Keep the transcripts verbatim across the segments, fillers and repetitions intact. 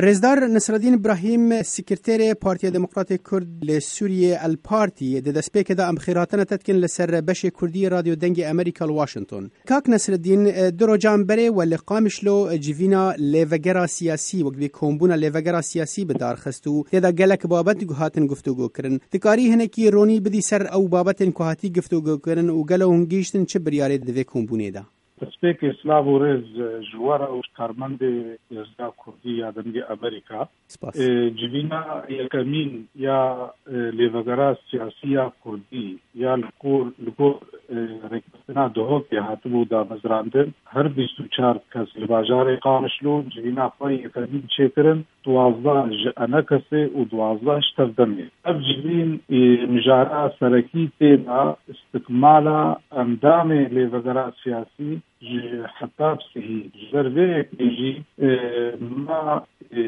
Rêzdar Nesreddîn Îbrahîm, Sekreterê Partiya Demokratê Kurd li Sûriyê, El Partî, di destpêkê de em xêrhatina te dikin li ser beşê Kurdî Radyo Dengê Amerîka li Washington. Kak Nesreddîn, e, du rojan berê we li Qamişlo, e, civîna lêvegera siyasî, wek dibê kombûna lêvegera siyasî bi dar xist û tê de gelek babet hatin guftûgo kirin. Dikarî hinekî ronî bidî ser ew babetên ku hatî guftûgo kirin û gelo hûn gihîştin çi biryarê di vê kombûnê de? Destpêkê silav û rêz ji we re û ji karmendê Rêzgera Kurdî ya Dengê Amerîka. Spas. E, civîna yekemîn ya, e, lêvegera siyasî ya Kurdî ya li gor, li gor, e, rêkeftina Duhokê hatibû damezrandin. Her bîst û çar kes li bajarê Qamişlo civîna xwe yekemîn çêkirin, duwazdeh ji Enekesê û duwazdeh ji Tevdemê. Ev civîn, e, mijara serekî tê de istikmala endamê lêvegera siyasî ji Hetab Sihî. Ji ber vê yekê jî, e, me, e,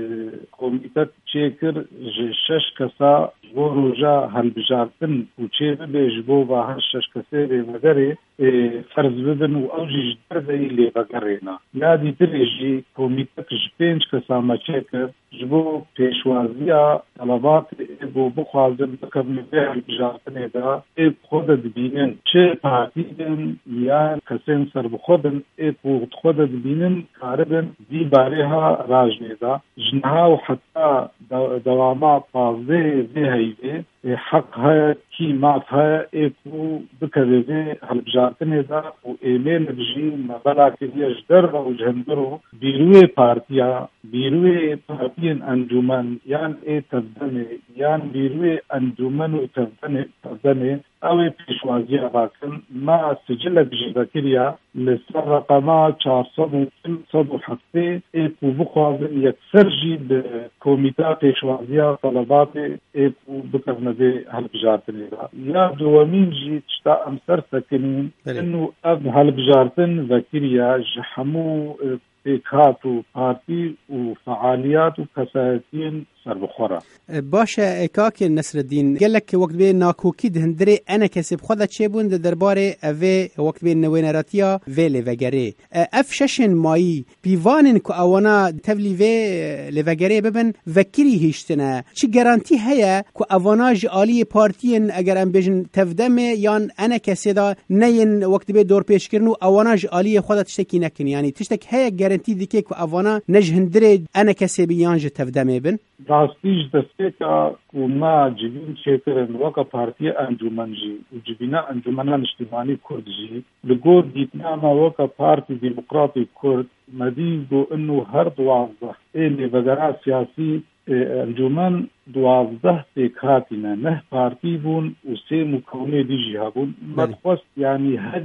komîtek çêkir ji şeş kesa ji bo roja hilbijartin û çê bibe ji bo va her şeş kesê lêvegerê, e, ferz bibin û ew jî ji derveyî lêvegerê ne. Ya dîtirê jî komîtek ji pênc kesa me çêkir, ji bo pêşwaziya telebatê ê ku bixwazin bikevin vê hilbijartinê de, ê ku xwe de dibînin, çi partî bin yan kesên serbixwe bin, ê ku xwe de dibînin, karibin vî barê ha rajnê de. Ji niha û heta de-, dewama pazdehê vê heyvê, ê, heq heye, kî maf heye, ê ku bikeve vê hilbijartinê de û êmê li bijî me bela kiriye ji derve û ji hundir û bîrûyê partiya, bîrûyê partiyên encûmen yan ê tevdemê yan bîrûyê encûmen û tevdemê, tevdemê, ew ê pêşwaziya rakin. Me sicilek jî vekiriya li ser reqema çar sed û pênc sed û heftê ê ku bixwazin yekser jî bi komîta pêşwaziya telebatê ê ku bikevne vê hilbijartinê de. Ya dowemîn jî tişta em ser sekinîn, Belê. Inu ev hilbijartin vekiriya ji hemû, e, pêkhat û partî û fealiyat û kesayetiyên serbixwe re. E, baş e, e, Kak Nesreddîn, gelek wek dibê nakokî di hundirê Enekesê bi xwe de çêbûn di derbarê evê wek dibê newêneratiya vê lêvegerê. E, ev şeşên mayî pîvanên ku ewana tevlî vê, e, lêvegerê bibin, vekirî hiştine. Çi garantî heye ku ewana ji aliyê partiyên, eger em bêjin Tevdemê yan Enekesê de neyên wek dibê dorpêçkirin û ewana ji aliyê xwe de tiştekî nekin? Yanî tiştek heye garantî dike ku ewana ne ji hundirê Enekesê bin yan ji Tevdemê bin? Rastî ji destpêka ku me civîn çêkirin weke Partiya Encûmen jî û civîna Encûmena Niştimanî Kurd jî, li gor dîtina me weke Partî Demokratî Kurd, me dî ku inu her duwazdeh ê lêvegera siyasî, ê, encûmen duwazdeh pêkhatî ne, neh partî bûn û sê mukewinê dî jî hebûn. Me Belê. dixwest, yanî her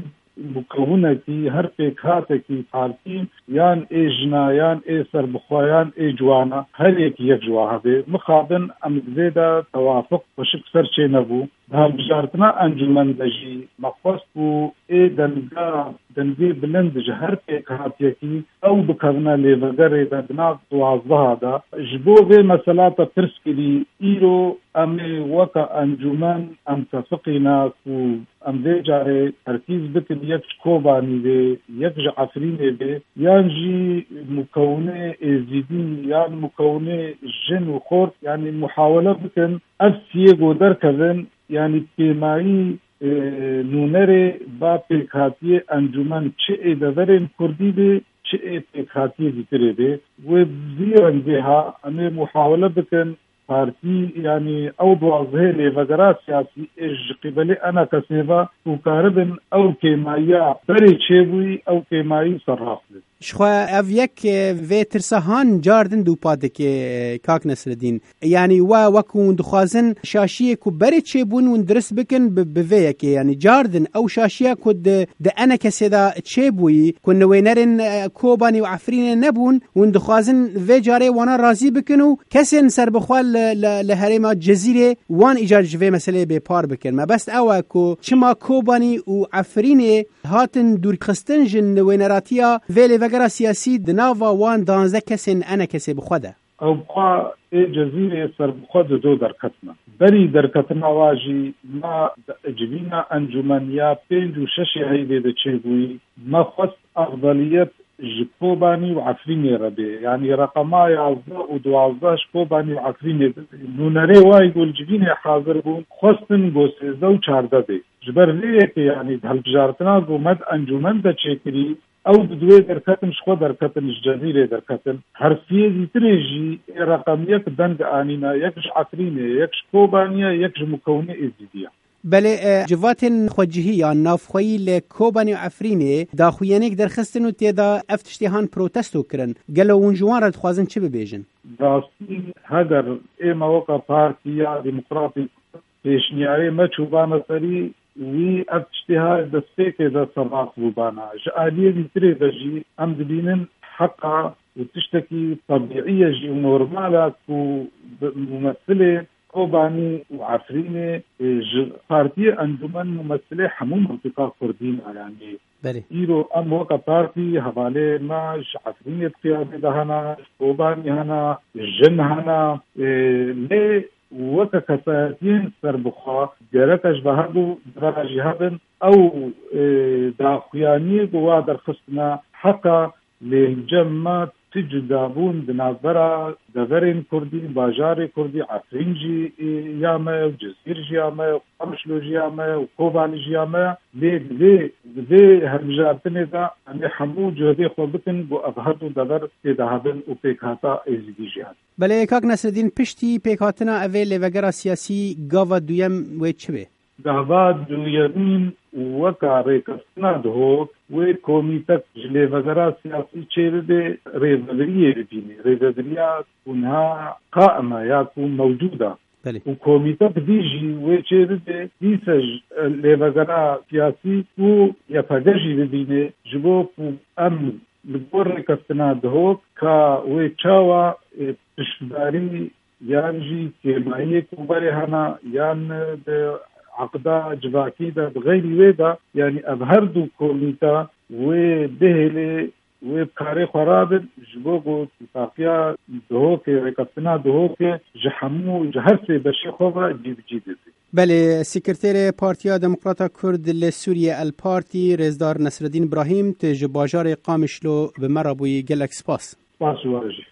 mukewinekî, her pêkhatekî partî, yan ê jina, yan ê serbixwe, yan ê ciwana, her yekî yek ji wa hebe. Mixabin em di vê de tewafiq xweşik ser çê nebû. Di hilbijartina encûmen de jî me xwest ku ê denga, dengê bilind ji her pêkhatiyekî ew bikevine lêvegerê de di nav duwazdeha de. Ji bo vê mesela te pirs kirî, îro em ê weke encûmen em tefiqîne ku em vê carê terkîz bikin yek ji Kobanî bê, yek ji Efrînê bê, yan jî mukewinê êzîdî, yan mukewinê jin û xort, yanî muhawele bikin ev siyê ku derkevin, yanî pêmayî, e, nûnerê ba pêkhatiyê encûmen çi ê deverên kurdî bê, çi ê pêkhatiyê dîtirê bê. Wê vî rengê ha em ê muhawele bikin partî, yanî ew duwazdehê lêvegera siyasî ê ji qîbelê Enekesê ve ku karibin ew kêmayiya berê çêbûyî, ew kêmayî serrast bin. Jixwe ev yek, e, vê tirsa han car din dûpa dike, e, Kak Nesreddîn. Yanî we wek hûn dixwazin şaşiyê ku berê çêbûn hûn dirist bikin bi, bi vê yekê. Yanî car din ew şaşiya ku di, di Enekesê de çêbûyî, ku newênerên, e, Kobanî û Efrînê nebûn, hûn dixwazin vê carê wana razî bikin û kesên serbixwe li, li, li herêma Cezîrê wan îcar ji vê meseleyê bêpar bikin. Mebest ew e ku çima Kobanî û Efrînê hatin dûrxistin ji newêneratiya vê lêvegera siyasî di nava wan danzdeh kesên Enekesê bi xwe de. Ew bi xwe ê Cezîrê serbixwe di do derketine. Berî derketina wa jî me di civîna encûmen ya pênc û şeşê heyvê de çêbûyî, me xwest exveliyet ji Kobanî û Efrînê re bê. Yanî reqema yazdeh û duwazdeh ji Kobanî û Efrînê bê. Nûnerê wayî ku li civînê hazir bûn, xwestin ku sêzdeh û çardeh bê. Ji ber vê yekê, yanî di hilbijartina ku me di encûmen de çêkirî, ew di duwê derketin, ji xwe derketin, ji Cezîrê derketin. Her siyê dîtirê jî ê reqem yek deng anîne, yek ji Efrînê, yek ji Kobaniyê, yek ji Mûkewnê Êzîdiya. Belê, e, civatên xwecihî ya navxweyî li Kobanê û Efrînê daxuyaniyek derxistin û tê de ev tiştê han protesto kirin. Gelo hûn ji wan re dixwazin çi bibêjin? Rastî, heger ême weke Partiya Demokratîk pêşniyarê me çûbane serî, wî ev tiştê ha destpêkê de serrast bûbana. Ji aliyê dîtirê de jî em dibînin heqa û tiştekî tebîî ye jî û normal e ku bi-, mumesilê Kobanî û Efrînê, e, ji partiyê encûmen mumesilê hemû mintiqa Kurdî ne, yanî. Belê. Îro em weke partî hevalê me ji Efrînê di qiyadê de hene, ji Kobanî hene, jin hene, e, lê weke kesayetiyên serbixwe gerek e ji be herdû devera jî hebin. Ew, e, daxuyaniyê ku wa derxistine heq e. Lê li cem me ti cudabûn di navbera deverên kurdî, bajarê kurdî, Efrîn jî, e, ya me ye, Cizîr jî ya me ye, Qamişlo jî ya me ye û Kobanî jî ya me ye. Lê di vê, di vê hilbijartinê de em ê hemû cuhdê xwe bikin ku ev her du dever tê de hebin û pêkhata Êzidî jî hebin. Belê, kak Nesreddîn, piştî pêkhatina evê lêvegera siyasî, gava duyem wê çi be? Gava duyemîn weka rêkeftina Duhok, wê komîtek ji lêvegera siyasî çêbibe, rêveberiyê bibîne. Rêveberiya ku niha qaim e ya ku mewcûd e. Belê. Û komîtek dî jî wê çêbibe, dîse ji lêvegera siyasî û Y P G jî bibîne, ji bo ku em li gor rêkeftina Duhok ka wê çawa, e, piştdarî yan jî kêmayiyê ku berê hene, yan di eqda civakî de, bi xeyrî wê de, yanî ev her du komîte wê bihêlê, wê bi karê xwe rabin, ji bo ku tîfaqiya Duhokê, rêkeftina Duhokê ji hemû, ji her sê beşê xwe ve cî bi cî bibe. Belê, Sekreterê Partiya Demokrata Kurd li Sûriye, El Partî, Rêzdar Nesreddîn Brahîm, tu ji bajarê Qamişlo bi me re bûyî, gelek spas. Spas ji we re jî.